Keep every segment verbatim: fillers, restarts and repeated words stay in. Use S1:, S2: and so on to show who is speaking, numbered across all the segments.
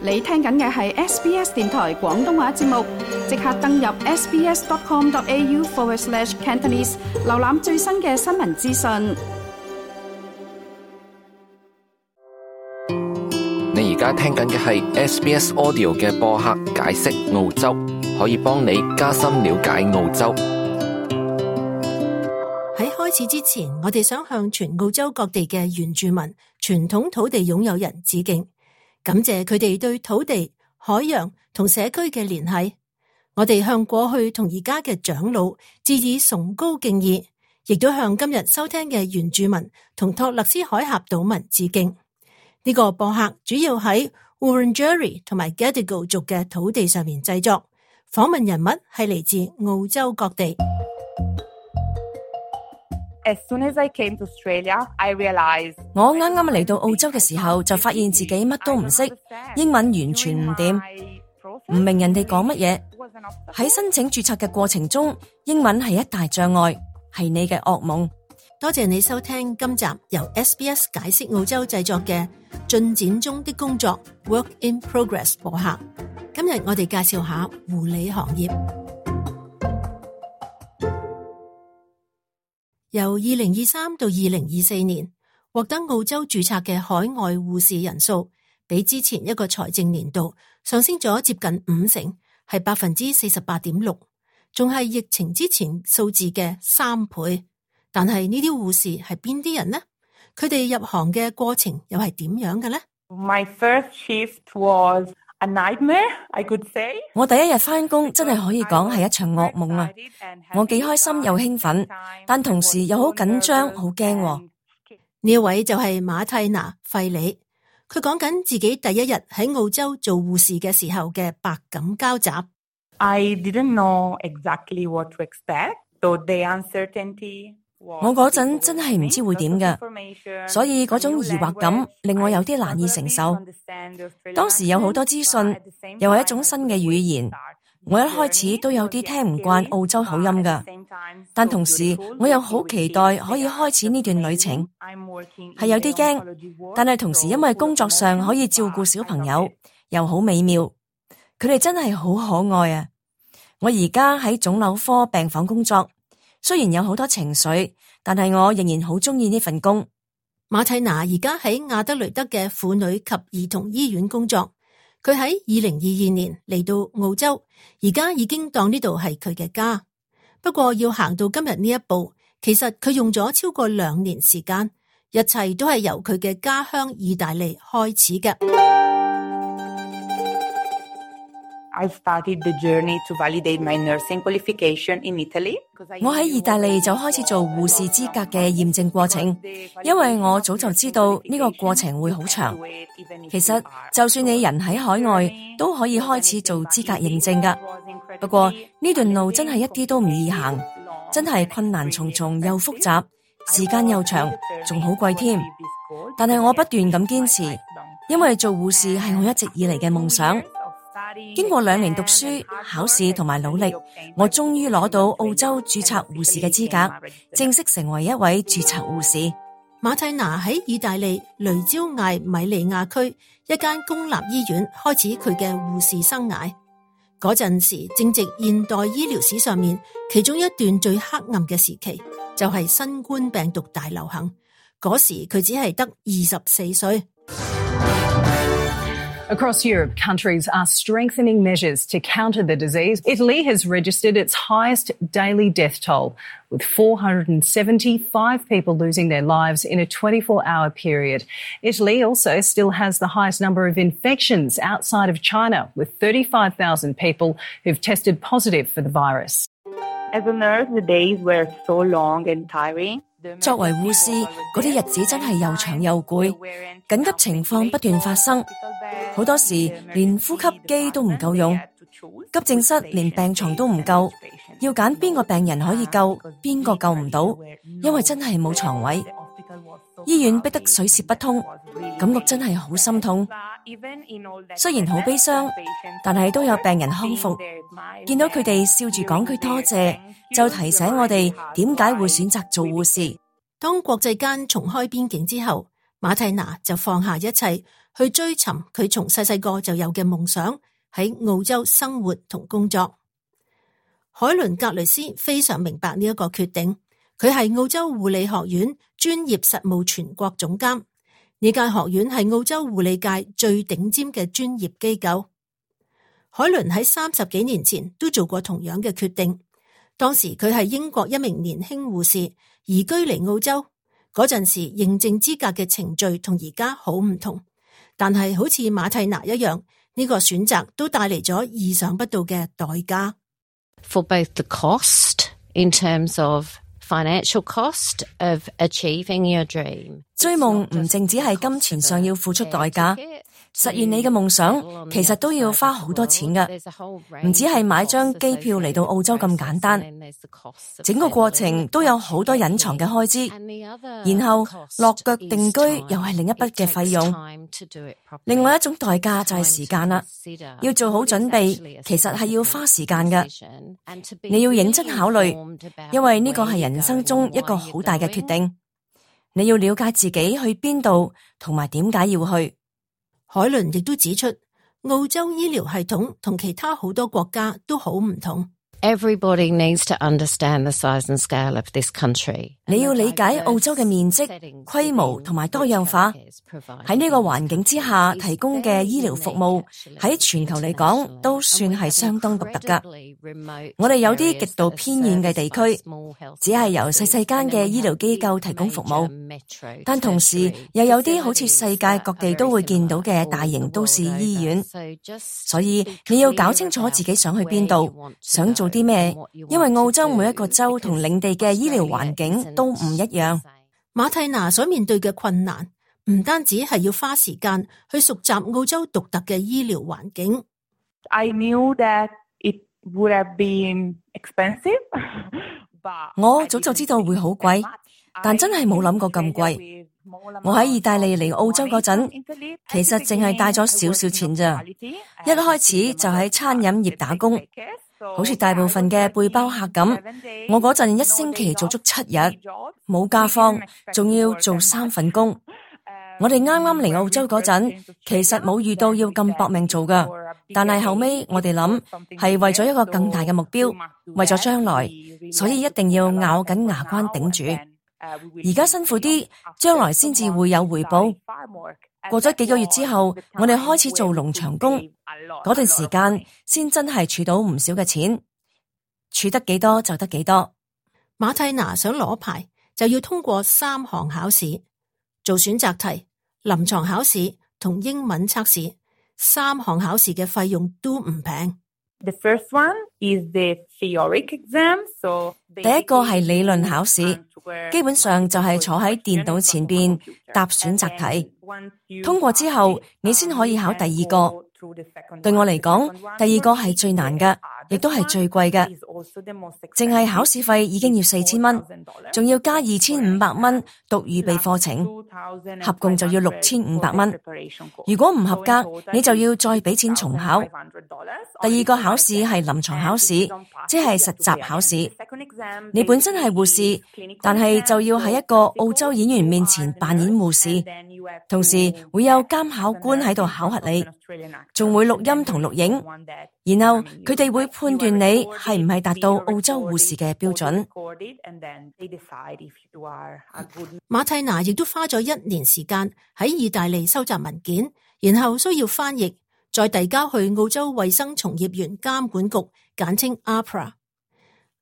S1: 你聽緊嘅係 S B S 電台廣東話節目，即刻登入 sbs.com.au forward slash Cantonese， 瀏覽最新嘅新聞資訊。
S2: 你而家聽緊嘅係 S B S Audio 嘅播客解釋澳洲，可以幫你加深了解澳洲。
S3: 喺開始之前，我哋想向全澳洲各地嘅原住民、傳統土地擁有人致敬，感謝佢哋對土地、海洋同社區嘅聯繫。我哋向過去同而家嘅長老致以崇高敬意，亦都向今日收聽嘅原住民同托勒斯海峽島民致敬。呢、這個播客主要喺 Wurundjeri 同埋 Gadigal 族嘅土地上面製作，訪問人物係嚟自澳洲各地。
S4: As soon as I came to Australia, I realized
S5: 我啱啱嚟到澳洲嘅時候，就發現自己乜都唔識，英文完全唔掂，唔明人哋講乜嘢。喺申請註冊嘅過程中，英文係一大障礙，係你嘅噩夢。
S3: 多謝你收聽今集由 S B S 解釋澳洲製作嘅進展中的工作 Work in Progress 播客。今日我哋介紹下護理行業。由二零二三到二零二四年，獲得澳洲註冊嘅海外護士人數，比之前一個財政年度上升咗接近五成，係百分之四十八點六，仲係疫情之前數字嘅三倍。但係呢啲護士係邊啲人呢？佢哋入行嘅過程又係點樣嘅呢？
S4: My first shift was a nightmare, I could say.
S5: 我第一日返工真係可以講係一場噩夢啊！我幾開心又興奮，但同時又好緊張、好驚。
S3: 呢一位就係馬蒂娜費里，佢講緊自己第一日喺澳洲做護士嘅時候嘅百感交集。
S4: I didn't know exactly what to expect, so the uncertainty.
S5: 我嗰陣真係唔知會點㗎，所以嗰種疑惑感令我有啲難以承受。當時有好多資訊，又係一種新嘅語言，我一開始都有啲聽唔慣澳洲口音㗎，但同時我又好期待可以開始呢段旅程，係有啲驚，但係同時因為工作上可以照顧小朋友，又好美妙，佢哋真係好可愛啊！我而家喺腫瘤科病房工作。雖然有好多情緒，但係我仍然好中意呢份工。
S3: 馬蒂娜而家喺亞德雷德嘅婦女及兒童醫院工作。佢喺二零二二年嚟到澳洲，而家已經當呢度係佢嘅家。不過要行到今日呢一步，其實佢用咗超過兩年時間，一切都係由佢嘅家鄉意大利開始嘅。
S4: I started the journey to validate my nursing qualification in Italy.
S5: 我喺意大利就開始做護士資格嘅驗證過程，因為我早就知道呢個過程會好長。其實就算你人喺海外，都可以開始做資格認證㗎。不過呢段路真係一啲都唔易行，真係困難重重又複雜，時間又長，仲好貴添。但係我不斷咁堅持，因為做護士係我一直以嚟嘅夢想。經過兩年讀書、考試同埋努力，我終於攞到澳洲註冊護士嘅資格，正式成為一位註冊護士。
S3: 馬蒂娜喺意大利雷焦艾米利亞區一間公立醫院開始佢嘅護士生涯。嗰陣時正值現代醫療史上面其中一段最黑暗嘅時期，就係新冠病毒大流行。嗰時佢只係得二十四歲。
S6: Across Europe, countries are strengthening measures to counter the disease. Italy has registered its highest daily death toll, with four hundred seventy-five people losing their lives in a twenty-four hour period. Italy also still has the highest number of infections outside of China, with thirty-five thousand people who've tested positive for the virus.
S4: As a nurse, the days were so long and tiring.
S5: 作為護士，嗰啲日子真係又長又攰，緊急情況不斷發生，好多時連呼吸機都唔夠用，急症室連病床都唔夠，要揀邊個病人可以救，邊個救唔到，因為真係冇床位。醫院逼得水泄不通，感覺真係好心痛。雖然好悲傷，但係都有病人康復，見到佢哋笑住講句多謝，就提醒我哋點解會選擇做護士。
S3: 當國際間重開邊境之後，馬蒂娜就放下一切去追尋佢從細細個就有嘅夢想，喺澳洲生活同工作。海倫格雷斯非常明白呢一個決定，佢係澳洲護理學院專業實務全國總監。呢間學院係澳洲護理界最頂尖嘅專業機構。海倫喺三十幾年前都做過同樣嘅決定，當時佢係英國一名年輕護士，移居嚟澳洲。嗰陣時認證資格嘅程序同而家好唔同，但係好似馬蒂娜一樣，呢個選擇都帶嚟咗意想不到嘅代價。
S7: For both the cost in terms of financial cost of achieving your dream，
S5: 追夢唔淨止係金錢上要付出代價，實現你嘅夢想其實都要花好多錢㗎，唔止係買張機票嚟到澳洲咁簡單，整個過程都有好多隱藏嘅開支，然後落腳定居又係另一筆嘅費用。另外一種代價就係時間啦，要做好準備，其實係要花時間㗎，你要認真考慮，因為呢個係人生中一個好大嘅決定，你要了解自己去邊度同埋點解要去。海倫亦都指出，澳洲醫療系統同其他好多國家都好唔同。
S7: Everybody needs to understand the size and scale of this country。
S5: 你要理解澳洲嘅面積、規模同埋多樣化，喺呢個環境之下提供嘅醫療服務，喺全球嚟講都算係相當獨特噶。我哋有啲極度偏遠嘅地區，只係由細細間嘅醫療機構提供服務，但同時又有啲好似世界各地都會見到嘅大型都市醫院。所以你要搞清楚自己想去邊度，想做啲咩，因為澳洲每一個州同領地嘅醫療環境都唔一樣。
S3: 馬蒂娜所面對嘅困難唔單止係要花時間去熟習澳洲獨特嘅醫療環境。
S4: I knew that it would have been expensive, but
S5: 我早就知道會好貴，但真係冇諗過咁貴。我喺意大利嚟澳洲嗰陣，其實淨係帶咗少少錢咋，一開始就喺餐飲業打工。好似大部分嘅背包客咁，我嗰陣一星期做足七日，冇假放，仲要做三份工。我哋啱啱嚟澳洲嗰陣，其實冇遇到要咁搏命做噶，但係後尾我哋諗係為咗一個更大嘅目標，為咗將來，所以一定要咬緊牙關頂住。而家辛苦啲，將來先至會有回報。過咗幾個月之後，我哋開始做農場工，嗰段時間先真係儲到唔少嘅錢，儲得幾多就得幾多。
S3: 馬蒂娜想攞牌，就要通過三項考試，做選擇題、臨床考試同英文測試。三項考試嘅費用都唔平。
S4: The first one is the theoric exam, so
S5: 第一個係理論考試，基本上就係坐喺電腦前邊答選擇題，通過之後你先可以考第二個。對我嚟講，第二個係最難嘅，亦都係最貴嘅。淨係考試費已經要四千蚊，仲要加二千五百蚊讀預備課程，合共就要六千五百蚊。如果唔合格，你就要再俾錢重考。第二個考試係臨床考試，即係實習考試。你本身係護士，但係就要喺一個澳洲演員面前扮演護士，同時會有監考官喺度考核你，仲會錄音同錄影，然後佢哋會判斷你係唔係達到澳洲護士嘅標準。
S3: 馬蒂娜亦都花咗一年時間喺意大利收集文件，然後需要翻譯，再遞交去澳洲衛生從業員監管局，簡稱 A P R A。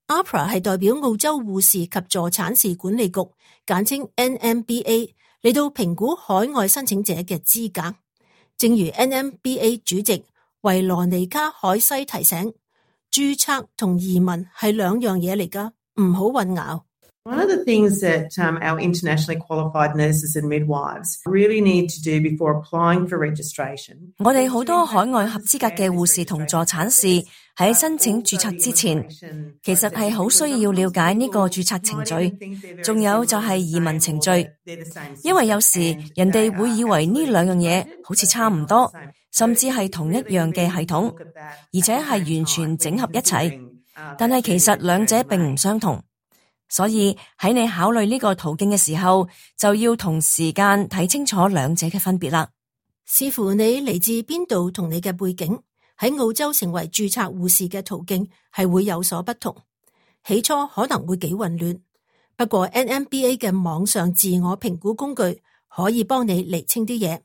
S3: A P R A 係代表澳洲護士及助產士管理局，簡稱 N M B A， 嚟到評估海外申請者嘅資格。正如 N M B A 主席維羅尼卡海西提醒，註冊同移民係兩樣嘢嚟㗎，唔好混淆。
S8: One of the things that um, our internationally qualified nurses and midwives really need to do before applying for registration，
S5: 我哋好多海外合資格嘅護士同助產士喺申請註冊之前，其實係好需要了解呢個註冊程序，仲有就係移民程序，因為有時人哋會以為呢兩樣嘢好似差唔多，甚至係同一樣嘅系統，而且係完全整合一齊，但係其實兩者並唔相同。所以喺你考慮呢個途徑嘅時候，就要同時間睇清楚兩者嘅分別啦。
S3: 視乎你嚟自邊度同你嘅背景，喺澳洲成為註冊護士嘅途徑係會有所不同。起初可能會幾混亂，不過 N M B A 嘅網上自我評估工具可以幫你釐清啲嘢，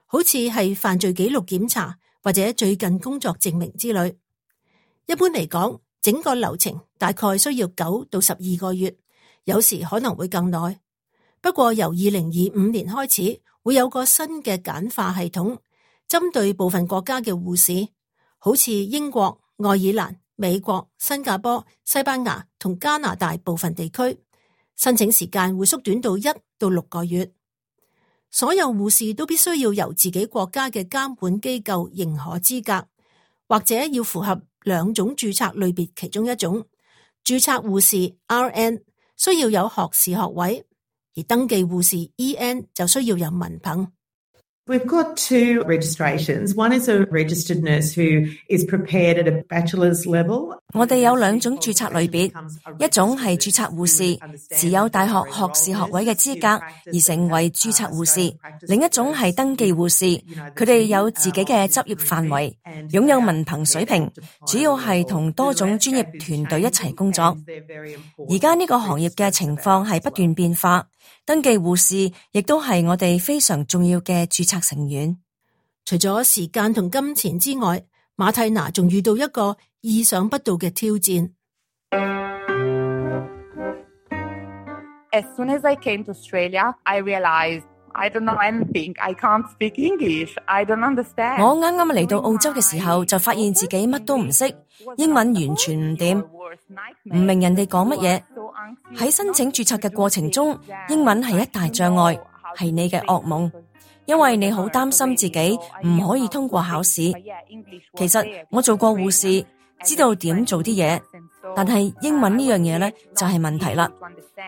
S3: 好似係犯罪記錄檢查或者最近工作證明之類。一般嚟講，整個流程大概需要九到十二個月，有時可能會更耐。不過由二零二五年開始，會有個新嘅簡化系統，針對部分國家嘅護士，好似英國、愛爾蘭、美國、新加坡、西班牙同加拿大部分地區，申請時間會縮短到一到六個月。所有護士都必須要由自己國家嘅監管機構認可資格，或者要符合兩種註冊類別其中一種。註冊護士 R N 需要有學士學位，而登記護士 E N 就需要有文憑。
S8: We've got two registrations. One is a registered nurse who is prepared at a bachelor's level.
S5: 我哋有兩種註冊類別，一種係註冊護士，持有大學學士學位嘅資格而成為註冊護士；另一種係登記護士，佢哋有自己嘅執業範圍，擁有文憑水平，主要係同多種專業團隊一齊工作。而家呢個行業嘅情況係不斷變化。登記護士亦都係我哋非常重要嘅註冊成員。
S3: 除咗時間同金錢之外，馬蒂娜仲遇到一個意想不到嘅挑戰。
S4: As soon as I came to Australia, I realized I don't know anything. I can't speak English. I don't understand.
S5: 我啱啱嚟到澳洲嘅時候，就發現自己乜都唔識，英文完全唔掂，唔明人哋講乜嘢。喺申請註冊嘅過程中，英文係一大障礙，係你嘅噩夢，因為你好擔心自己唔可以通過考試。其實我做過護士，知道點做啲嘢，但係英文呢樣嘢呢，就係問題啦，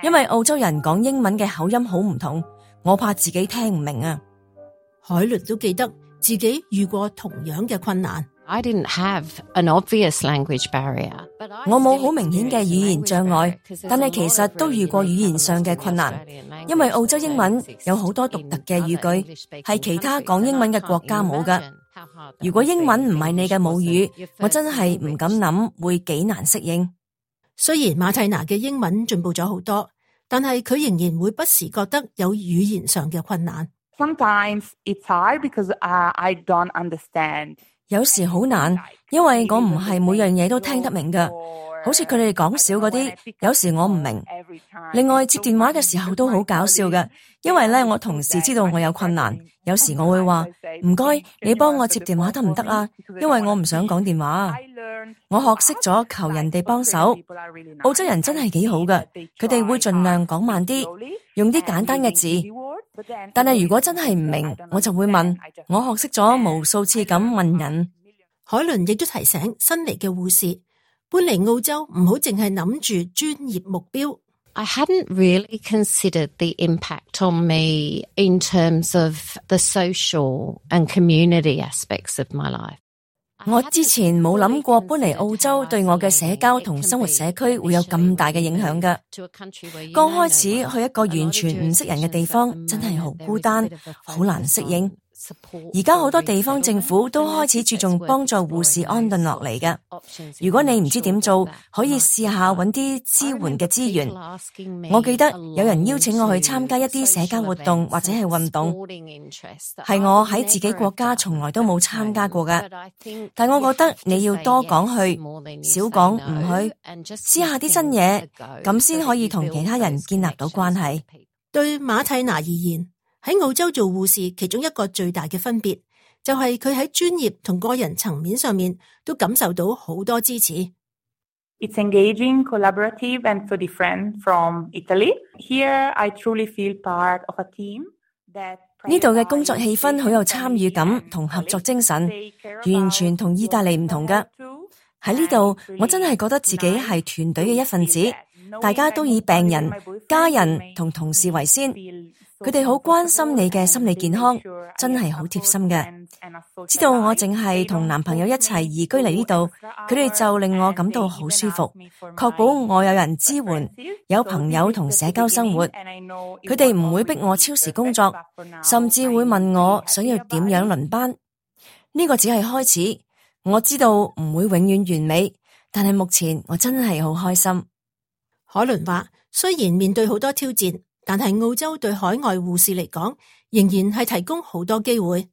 S5: 因為澳洲人講英文嘅口音好唔同，我怕自己聽唔明啊。
S3: 海倫都記得自己遇過同樣嘅困難。
S7: I didn't have an obvious language barrier.
S5: 我冇好明顯嘅語言障礙，但係其實都遇過語言上嘅困難，因為澳洲英文有好多獨特嘅語句，係其他講英文嘅國家冇㗎。如果英文唔係你嘅母語，我真係唔敢諗會幾難適應。
S3: 雖然馬蒂娜嘅英文進步咗好多，但係佢仍然會不時覺得有語言上嘅困難。
S4: Sometimes it's hard because uh, I don't understand.
S5: 有時好難，因為我唔係每樣嘢都聽得明㗎，好似佢哋講笑嗰啲，有時我唔明。另外接電話嘅時候都好搞笑㗎，因為咧我同事知道我有困難，有時我會話唔該，你幫我接電話得唔得啊？因為我唔想講電話啊。我學識咗求人哋幫手。澳洲人真係幾好㗎，佢哋會盡量講慢啲，用啲簡單嘅字。但係如果真係唔明，我就會問。我學識咗無數次咁問人。
S3: 海倫亦都提醒新嚟嘅護士，搬嚟澳洲唔好淨係諗住專業目標。
S7: I hadn't really considered the impact on me in terms of the social and community aspects of my life.
S5: 我之前冇諗過搬嚟澳洲對我嘅社交同生活社區會有咁大嘅影響㗎。剛開始去一個完全唔識人嘅地方，真係好孤單，好難適應。而家好多地方政府都開始注重幫助護士安頓落嚟嘅。如果你唔知點做，可以試下揾啲支援嘅資源。我記得有人邀請我去參加一啲社交活動或者係運動，係我喺自己國家從來都冇參加過嘅。但我覺得你要多講去，少講唔去，試下啲新嘢，咁先可以同其他人建立到關係。
S3: 對馬蒂娜而言，喺澳洲做護士，其中一個最大嘅分別就係佢喺專業同個人層面上面都感受到好多支持。
S4: It's engaging, collaborative, and so different from Italy. Here, I truly feel part of a team that
S5: 呢度嘅工作氣氛好有參與感同合作精神，完全同意大利唔同㗎。喺呢度，我真係覺得自己係團隊嘅一份子，大家都以病人、家人同同事為先。佢哋好關心你嘅心理健康，真係好貼心嘅。知道我淨係同男朋友一齊移居嚟呢度，佢哋就令我感到好舒服，確保我有人支援，有朋友同社交生活。佢哋唔會逼我超時工作，甚至會問我想要點樣輪班。呢個只係開始，我知道唔會永遠完美，但係目前我真係好開心。
S3: 可倫話，雖然面對好多挑戰，但係澳洲對海外護士嚟講，仍然係提供好多機會。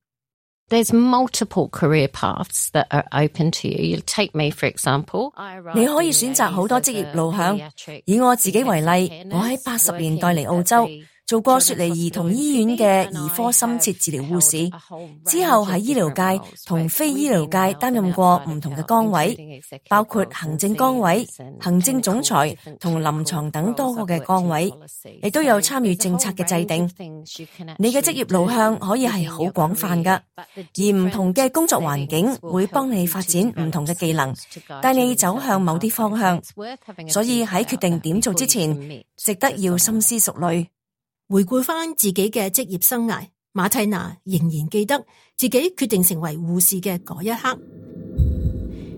S7: There's multiple career paths that are open to you. You take me, for example.
S5: 你可以選擇好多職業路向。以我自己為例，我喺八十年代嚟澳洲，做過雪梨兒童醫院嘅兒科深切治療護士，之後喺醫療界同非醫療界擔任過唔同嘅崗位，包括行政崗位、行政總裁同臨床等多個嘅崗位，亦都有參與政策嘅制定。你嘅職業路向可以係好廣泛㗎，而唔同嘅工作環境會幫你發展唔同嘅技能，帶你走向某啲方向。所以喺決定點做之前，值得要深思熟慮。
S3: 回顧翻自己嘅職業生涯，馬蒂娜仍然記得自己決定成為護士嘅嗰一刻。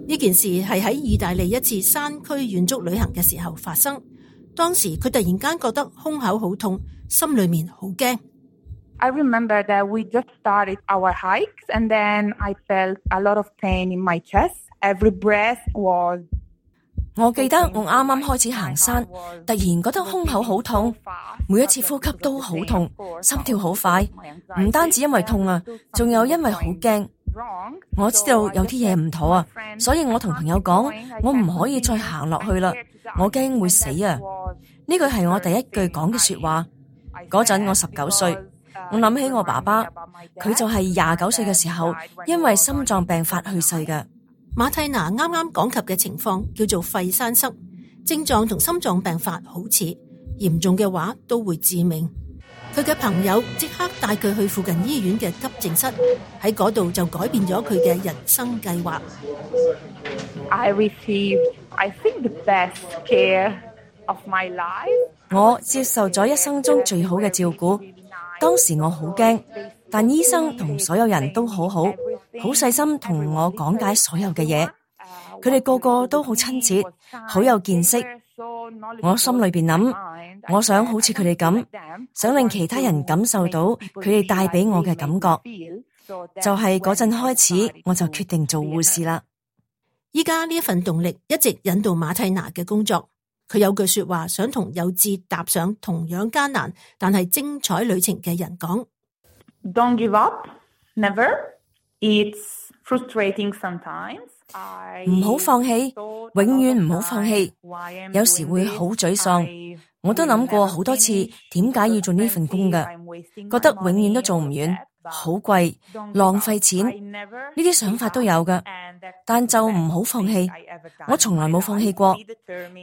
S3: 呢件事係喺意大利一次山區遠足旅行嘅時候發生。當時佢突然間覺得胸口好痛，心裏面好驚。
S4: I remember that we just started our hikes and then I felt a lot of pain in my chest. Every breath was
S5: 我記得我啱啱開始行山，突然覺得胸口好痛，每一次呼吸都好痛，心跳好快，唔單止因為痛啊，仲有因為好驚。我知道有啲嘢唔妥啊，所以我同朋友講，我唔可以再行落去啦，我驚會死啊！呢句係我第一句講嘅說話。嗰陣我十九歲，我諗起我爸爸，佢就係廿九歲嘅時候，因為心臟病發去世嘅。
S3: 馬蒂娜啱啱講及嘅情況叫做肺栓塞，症狀同心臟病發好似，嚴重嘅話都會致命。佢嘅朋友即刻帶佢去附近醫院嘅急症室，喺嗰度就改變咗佢嘅人生計劃。
S4: I received, I think, the best care of my life.
S5: 我接受咗一生中最好嘅照顧。當時我好驚，但醫生同所有人都好好，好細心同我講解所有嘅嘢。佢哋個個都好親切，好有見識。我心裏邊諗，我想好似佢哋咁，想令其他人感受到佢哋帶俾我嘅感覺。就係嗰陣開始，我就決定做護士啦。
S3: 依家呢一份動力一直引導馬蒂娜嘅工作。佢有句說話想同有志踏上同樣艱難但係精彩旅程嘅人講。
S4: Don't give up, never. It's frustrating sometimes.
S5: 唔好放棄，永遠唔好放棄。有時會好沮喪，我都諗過好多次點解要做呢份工㗎，覺得永遠都做唔完，好貴，浪費錢，呢啲想法都有㗎，但就唔好放棄。我從來冇放棄過，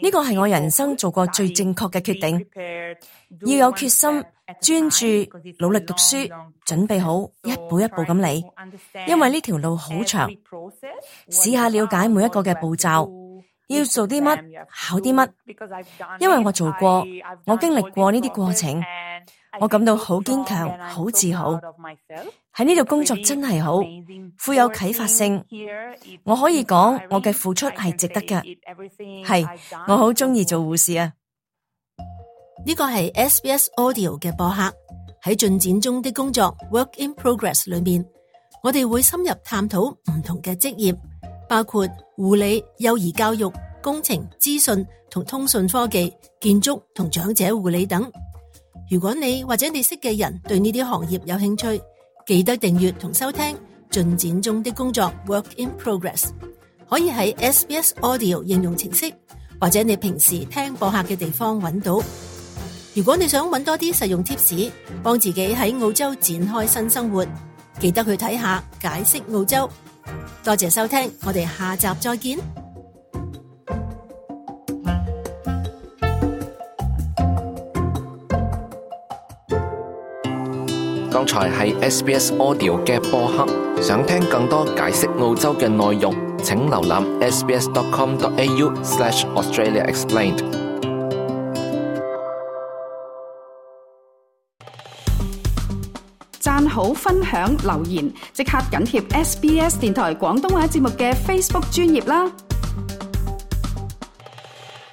S5: 呢個係我人生做過最正確嘅決定。要有決心，專注，努力讀書，準備好，一步一步咁嚟。因為呢條路好長，試下了解每一個嘅步驟，要做啲乜，考啲乜。因為我做過，我經歷過呢啲過程，我感到好堅強，好自豪。喺呢度工作真係好，富有啟發性。我可以講，我嘅付出係值得嘅。係，我好鍾意做護士啊！
S3: 呢個係 S B S Audio 嘅播客，喺進展中的工作 Work in Progress 裏面，我哋會深入探討唔同嘅職業，包括護理、幼兒教育、工程、資訊同通訊科技、建築同長者護理等。如果你或者你識嘅人對呢啲行業有興趣，記得訂閱同收聽進展中的工作 Work in Progress， 可以喺 S B S Audio 應用程式或者你平時聽播客嘅地方揾到。如果你想揾多啲實用貼士，幫自己喺澳洲展開新生活，記得去睇下解釋澳洲。多謝收聽，我哋下集再見。
S2: 剛才係 S B S Audio 嘅播客，想聽更多解釋澳洲嘅內容，請瀏覽 s b s dot com dot a u slash Australia Explained。
S1: 讚好、分享、留言，即刻緊貼 S B S 電台廣東話節目嘅 Facebook 專頁啦！